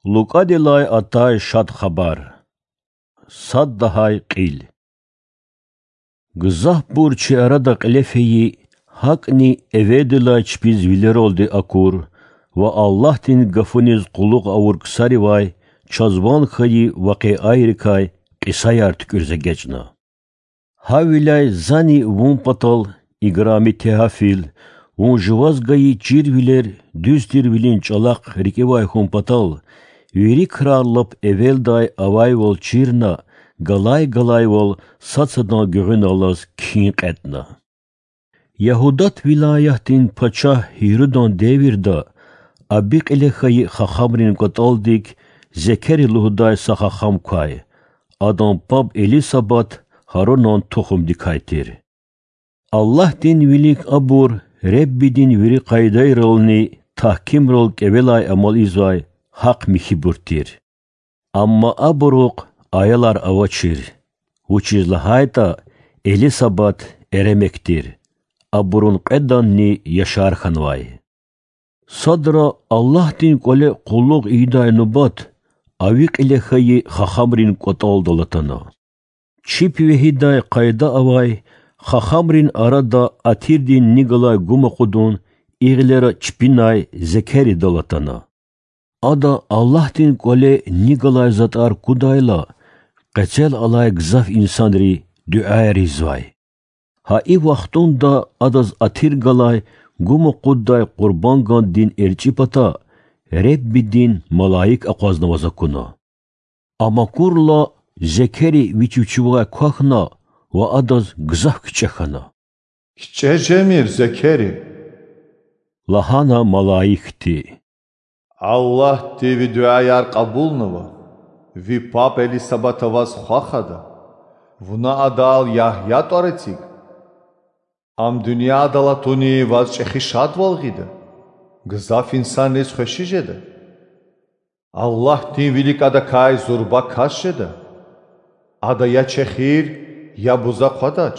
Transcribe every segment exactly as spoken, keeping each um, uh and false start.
Лукӏадилай атай Шад Хабар. Сад лагьай кьил. Гзафбур чи арада кьиле фейи, гьакӏни эвелдилай чпиз вилералди акур ва Аллагьдин гафуниз къуллугъ авур ксаривай чаз ван хьайи вакъиайрикай кьисаяр туькӏуьриз эгечӏна. Гьавиляй зани вун патал, играми Теофил, вун жуваз гайи чирвилер дуьз тирвилин чӏалахъ рикӏивай хьун патал, вири крар лап эвелдай авайвал чирна, галай-галайвал сад садан гуьгъуьналлаз кхьин кьетӏна. Ягьудат вилаятдин пачагь Гьирудан девирда Аби кьиле хьайи хахамрин кӏватӏалдик Зекери лугьудай са хахам квай, адан паб Элисабат Гьарунан тухумдикай тир. Аллагьдин вилик абур Реббидин вири къайдайрални тагькимрал кӏевелай амал ийизвай гьахъ-михьибур тир. Амма абурухъ аялар авачир, вучиз лагьайтӏа Элисабат эремек тир, абурун кьведанни яшар хьанвай. Садра Аллагьдин кӏвале къуллугъ ийидай нубат Ави кьиле хьайи хахамрин кӏватӏалдал атана. Чип вегьидай къайда авай хахамрин арада атирдин ни галай гум акъудун и гъилера чпинай Зекеридал атана. Ада Аллагьдин кӏвале ни галай затӏар кудайла, къецел алай гзаф инсанри дуьаяр ийизвай. Гьа и вахтунда адаз атир галай гум акъуддай къурбангандин эрчӏи пата Реббидин малаик акъвазнаваз акуна. Ам акурла, Зекери вич вичивай квахьна ва адаз гзаф кичӏе хьана. КичӀе жемир, Зекери, лагьана малаикди. Аллагьди ви дуьаяр кьабулнава, ви паб Элисабата ваз хва хада, вуна адал Ягья тӀвар эциг. Ам дуьньядал атуни ваз чӀехи шадвал гъида, гзаф инсанриз хвеши жеда. Аллагьдин вилик адакай зурба кас жеда. Ада я чехир, я буза хъвадач.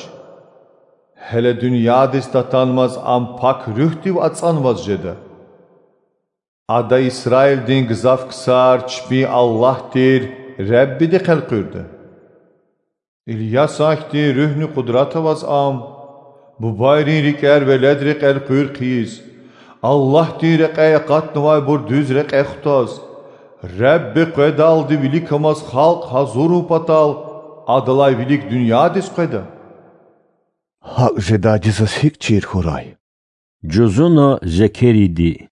Гьеле дуьньядиз татанмаз ам Пак Руьгьдив ацӀанваз жеда. Ада Исраилдин гзаф ксар чпин Аллагь тир Реббидихъ элкъуьрда. Ильясан хьтин руьгьни къудрат аваз ам бубайрин рикӀер веледрихъ элкъуьр хъийиз, Аллагьдин рекьяй акъатнавайбур дуьз рекье хутаз, Ребби къведалди виликамаз халкь гьазурун патал, адалай вилик дуьньядиз къведа. ГьакӀ жедайди заз гьикӀ чир хьурай? Жузуна Зекериди.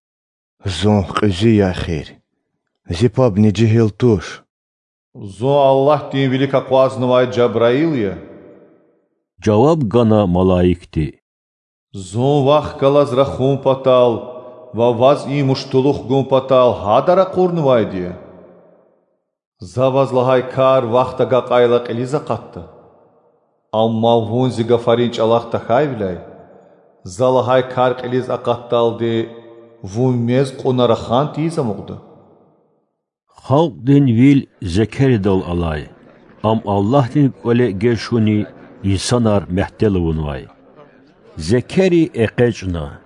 Зун кьуьзуь я эхир. Зи пабни жегьил туш. Зун Аллагьдин вилик акъвазнавай Жабраил я, жаваб гана малаикди. Зун вахъ галаз рахун патал ва ваз и муштулух гун патал гьадан ракъурнавайди я. За ваз лагьай кар вахт агакьайла кьилиз акъатда. Амма вун зи гафарин чӀалахъ тахьайвиляй, за лагьай кар кьилиз акъатдалди вун мез кьуна рахан тийиз амукьда. Халкьдин вил Зекеридал алай, ам Аллагьдин кӀвале геж хьуни инсанар мягьтел авунвай. Зекери экъечӀна,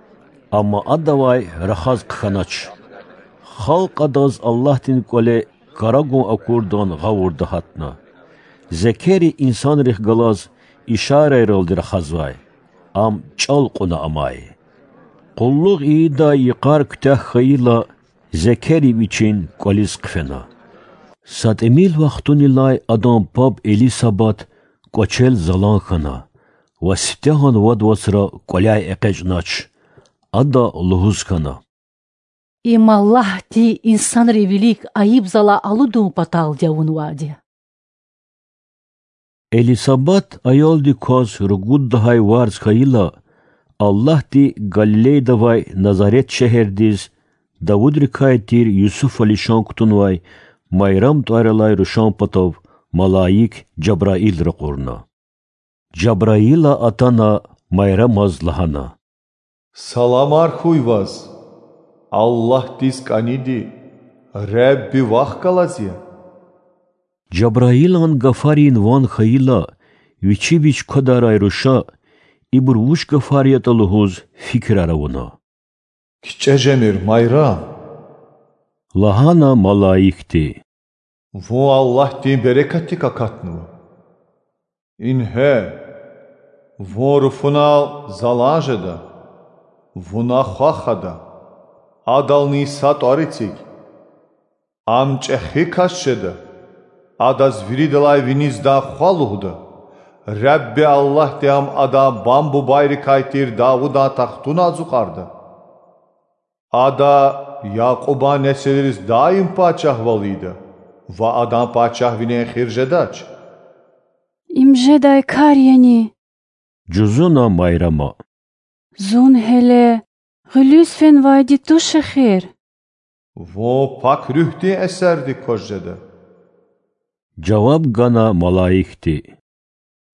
амма адавай рахаз хъхьанач. Халкь адаз Аллагьдин кӀвале кара гун акурдан гъавурда гьатна. Зекери инсанрихъ галаз ишарайралди рахазвай, ам чӀал кьуна амай. Къуллугъ ийидай йикъар куьтягь хьайила, Зекери вичин кӀвализ хъфена. Са тӀимил вахтунилай адан паб Элисабат кӀвачел залан хьана ва сифтегьан вад вацра кӀваляй экъечӀнач. Ада лугьуз хьана: Им Аллагьди инсанрин вилик айиб-зала алудун паталди авунвайди я. Элисабат аялдик кваз ругуд лагьай варз хьайила, Аллагьди Галилейда авай Назарет шегьердиз Давудрикай тир Юсуфа лишан кутунвай Майрам тӀвар алай рушан патав малаик Жабраил ракъурна. Жабраила атана Майрамаз лагьана: Саламар хьуй ваз, Аллагьдиз кӀаниди, Ребби вахъ галаз я. Жабраилан гафарин ван хьайила, вичи вич квадарай руша, ибур вуч гафар ятӀа лугьуз, фикирар авуна. КичӀе жемир, Майрам, Лагьана малаикди: Вун Аллагьдин берекатдик акатнава. Ингье, вун руфунал залан жеда, вуна хва хада, адални са тӀвар эциг. Ам чӀехи кас жеда, адаз виридалай виниздай хва лугьуда. Ребби Аллагьди ам адан бам-бубайрикай тир Давудан тахтуна ацукьарда. Ада Якьубан несилриз даим пачагьвал ийида ва адан пачагьвилин эхир жедач. Им жедай кар яни? жузуна Майрама. Зун гьеле гъуьлуьз фенвайди туш эхир. Вун Пак Руьгьдин эсердик кваз жеда,– жаваб гана малаикди.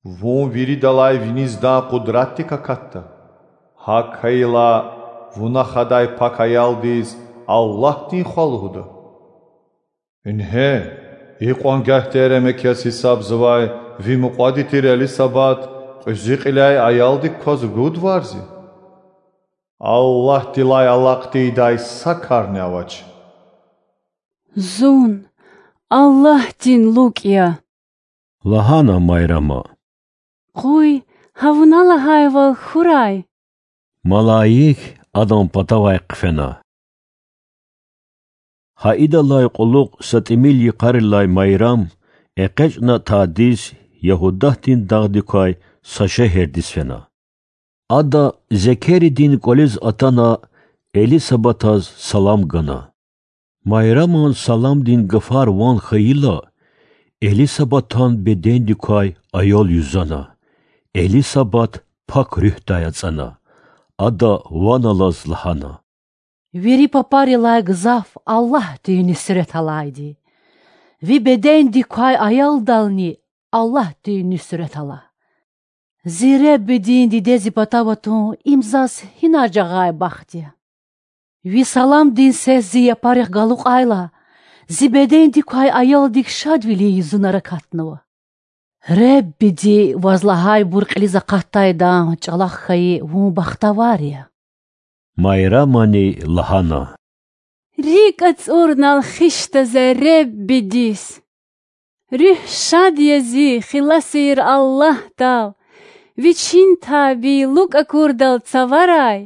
Вун виридалай виниздан къудратдик акатда. ГьакӀ хьайила, вуна хадай пак аялдиз Аллагьдин хва лугьуда. Ингье, икьван гагьдин эремек яз гьисабзавай ви мукьвади тир Элисабат кьуьзуь кьиляй аялдик кваз ругуд варз я. Аллагьдилай алакь тийидай са карни авач. Зун Аллагьдин лукӀ я,– лагьана Майрама. Къуй гьа вуна лагьайвал хьурай. Малаик адан патавай хъфена. Гьа идалай кьулухъ са тӀимил йикъарилай Майрам экъечӀна тадиз Ягьудатдин дагъдикай са шегьердиз фена. Ада Зекеридин кӀвализ атана, Элисабатаз салам гана. Майраман саламдин гафар ван хьайила, Элисабатан бедендикай аял юзана. Элисабат Пак Руьгьдай ацӀана. Ада ван алаз лагьана: Вири папарилай гзаф Аллагьдин нуьсрет алайди. Ви бедендик квай аялдални Аллагьдин нуьсрет ала. Зи Реббидин диде зи патав атун им заз гьинай жагъай бахт я! Ви саламдин сес зи япарихъ галукьайла, зи бедендик квай аялдик шадвилин юзунар акатнава. Реббиди ваз лагьайбур кьилиз акъатдайдан чӀалахъ хьайи вун бахтавар я. Майрамани лагьана: РикӀ ацӀурнал хищда за Реббидиз. Руьгь шад я зи хиласир Аллагьдал, Вичин табий лукӀ акурдал цаварай.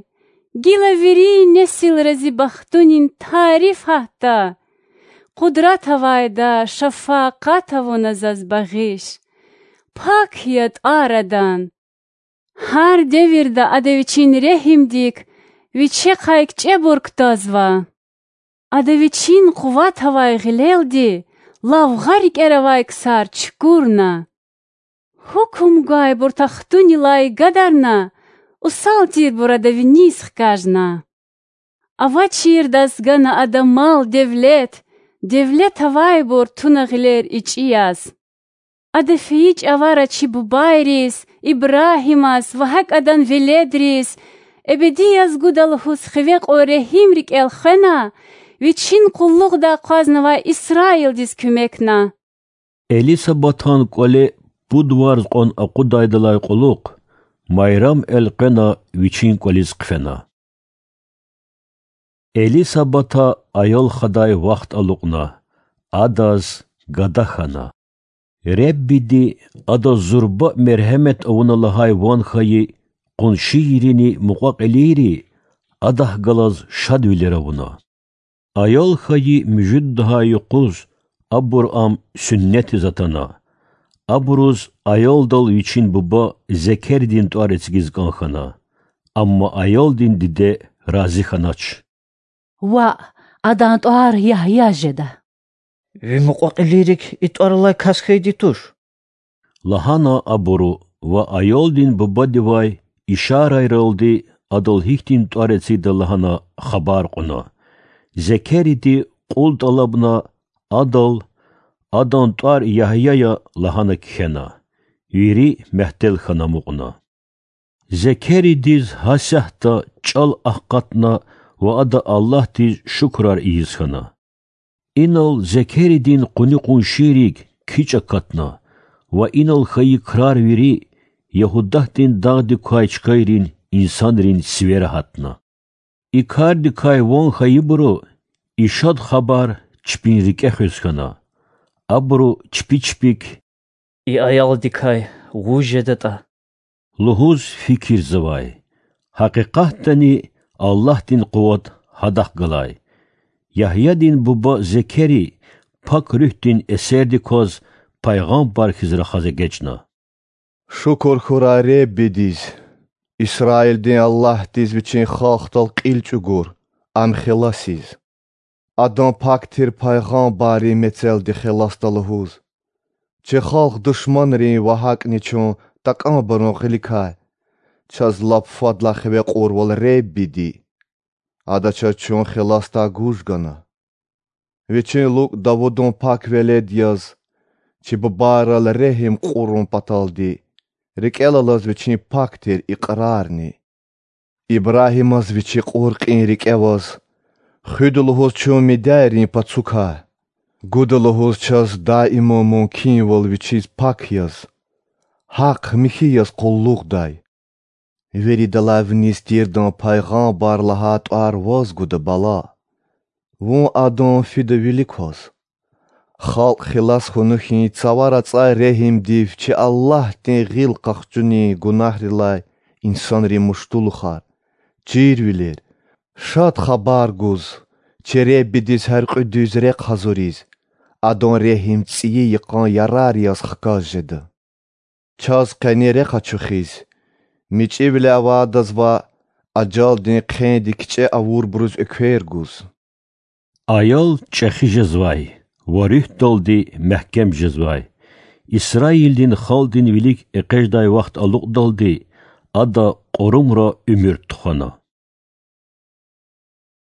Гила вири несилра зи бахтунин тариф гьатда. Къудрат авайда, шафакъат авуна заз багъиш. Пак я тӀвар Адан. Гьар девирда Ада Вичин регьимдик Вичехъай кичӀебур кутазва. Ада Вичин къуват авай гъилелди лавгъа рикӀера авай ксар чукурна. Гьукум гвайбур тахтунилай гадарна, усал тирбур Ада виниз хкажна. Авачирдаз гана Ада мал-девлет, девлет авайбур туна гъилер ичӀи яз. Ада фейи чӀавара чи бубайриз, Ибрагьимаз ва гьакӀ адан веледриз эбеди яз гуда лугьуз хиве кьван регьим рикӀел хвена, Вичин къуллугъда акъвазнавай Исраилдиз куьмекна. Элисабатан кӀвале пуд варз кьван акъудайдалай кьулухъ Майрам элкъвена вичин кӀвализ хъфена. Элисабата аял хадай вахт алукьна, адаз гада хьана. Реббиди адаз зурба мергьемет авуна лагьай ван хьайи къуншийрини мукьва-кьилийри адахъ галаз шадвилер авуна. Аял хьайи муьжуьд лагьай юкъуз абур ам суьннетиз атана. Абуруз аялдал вичин буба Зекеридин тӀвар эцигиз кӀан хьана. Амма аялдин диде рази хьанач. Ваъ, адан тӀвар Ягья жеда. Ви мукьва-кьилийрик и тӀвар алай кас хьайиди туш,– лагьана абуру ва аялдин бубадивай ишарайралди адал гьихьтин тӀвар эцигда лагьана хабар кьуна. Зекериди кьул тӀалабна, адал: Адан тӀвар Ягья я,– лагьана кхьена. Вири мягьтел хьана амукьна. Зекеридиз гьасятда чӀал акъатна ва ада Аллагьдиз шукурар ийиз хьана. Инал Зекеридин къуни-къуншийрик кичӀ акатна ва инал хьайи крар вири Ягьудатдин дагъдик квай чкайрин инсанрин сивера гьатна. И кардикай ван хьайибуру И шад хабар чпин рикӀе хуьз хьана. Абуру чпи чпик: И аялдикай вуж жедатӀа? лугьуз фикирзавай. Гьакъикъатдани Аллагьдин къуват гьадахъ галай. Ягьядин буба Зекери Пак Руьгьдин эсердик кваз пайгъамбар хьиз рахаз эгечӀна: Шукур хьурай Реббидиз, Исраилдин Аллагьдиз, Вичин халкьдал кьил чӀугур, ам хиласиз. Адан пак тир пайгъамбаррин мецелди хиласда лугьуз. Чи халкь душманрин ва гьакӀни чун такӀанбурун гъиликай чаз лап фадлай хиве кьурвал Реббиди. Ада чаз чун хиласдай гуж гана. Вичин лукӀ Давудан пак велед яз, чи бубайрал регьим кьурун паталди, рикӀел алаз вичин пак тир икьрарни. Ибрагьимаз вичи кьур кьин рикӀе аваз, хуьда лугьуз чун мидяйрин пацукай, гуда лугьуз чаз даиман мумкинвал вичиз пак яз, гьахъ-михьи яз къуллугъдай. Виридалай виниз тирдан пайгъамбар лагьай тӀвар ваз гуда, бала. Вун адан фида вилик кваз. Халкь хилас хьунухь цавара цӀай регьимдив чи Аллагьдин гъил къахчунин гунагьрилай инсанрин муштулухар, чирвилер, шад хабар гуз, чи Реббидиз гьяркьуь дуьз рехъ гьазуриз, Адан регьим цӀийи йикъан ярар яз хкаж жеда. Чаз къени рехъ ачухиз, мичӀивиле авайдаз ва ажалдин хъенди кичӀе авурбуруз эквер гуз. Аял чӀехи жезвай ва руьгьдалди мягькем жезвай. Исраилдин халкьдин вилик экъечӀдай вахт алукьдалди ада кьурумра уьмуьр тухвана.